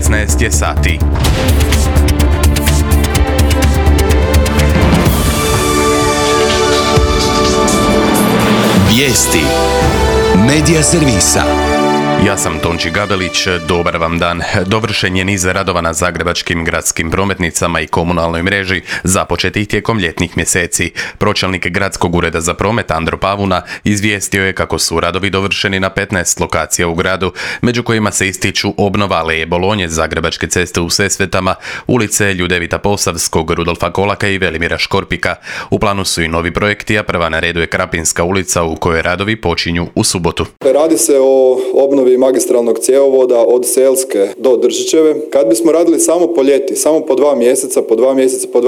16 je sati. Vijesti Medija servisa. Ja sam Tonči Gabelić, dobar vam dan. Dovršen je niz radova na zagrebačkim gradskim prometnicama i komunalnoj mreži započetih tijekom ljetnih mjeseci. Pročelnik Gradskog ureda za promet Andro Pavuna izvijestio je kako su radovi dovršeni na 15 lokacija u gradu, među kojima se ističu obnova Aleje Bolonje, Zagrebačke ceste u Sesvetama, ulice Ljudevita Posavskog, Rudolfa Kolaka i Velimira Škorpika. U planu su i novi projekti, a prva na redu je Krapinska ulica u kojoj radovi počinju u subotu. Radi se o obnovi magistralnog cjevovoda od Selske do Držićeve. Kad bismo radili samo po ljeti, samo po 2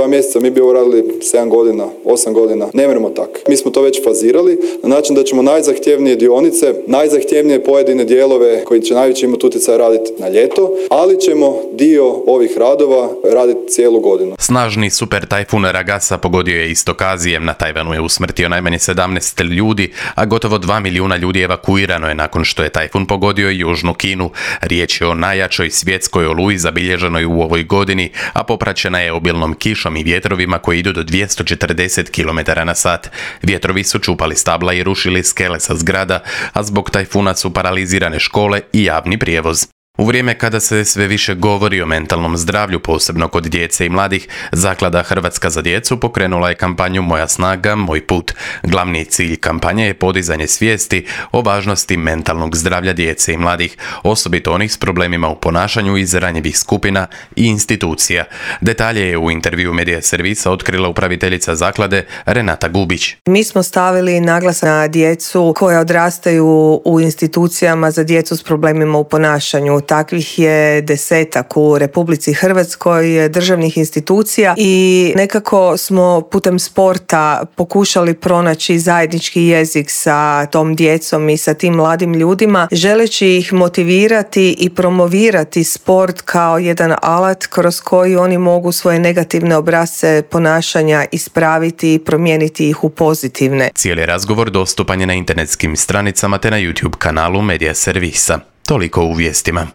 mjeseca, mi bi ovo radili 7 godina, 8 godina. Ne možemo tako. Mi smo to već fazirali na način da ćemo najzahtjevnije dionice, najzahtjevnije pojedine dijelove koji će najveći imati utjecaj raditi na ljeto, ali ćemo dio ovih radova raditi cijelu godinu. Snažni super tajfun Ragasa pogodio je istok Azije. Na Tajvanu je usmrtio najmanje 17 ljudi, a gotovo 2 milijuna ljudi evakuirano je nakon što je tajfun pogodio i južnu Kinu. Riječ je o najjačoj svjetskoj oluji zabilježenoj u ovoj godini, a popraćena je obilnom kišom i vjetrovima koji idu do 240 km/h. Vjetrovi su čupali stabla i rušili skele sa zgrada, a zbog tajfuna su paralizirane škole i javni prijevoz. U vrijeme kada se sve više govori o mentalnom zdravlju, posebno kod djece i mladih, Zaklada Hrvatska za djecu pokrenula je kampanju Moja snaga, moj put. Glavni cilj kampanje je podizanje svijesti o važnosti mentalnog zdravlja djece i mladih, osobito onih s problemima u ponašanju iz ranjivih skupina i institucija. Detalje je u intervju Medija servisa otkrila upraviteljica zaklade Renata Gubić. Mi smo stavili naglasak na djecu koja odrastaju u institucijama za djecu s problemima u ponašanju. Takvih je 10 u Republici Hrvatskoj državnih institucija i nekako smo putem sporta pokušali pronaći zajednički jezik sa tom djecom i sa tim mladim ljudima, želeći ih motivirati i promovirati sport kao jedan alat kroz koji oni mogu svoje negativne obrasce ponašanja ispraviti i promijeniti ih u pozitivne. Cijeli razgovor dostupan je na internetskim stranicama te na YouTube kanalu Medija servisa. Toliko u vijestima.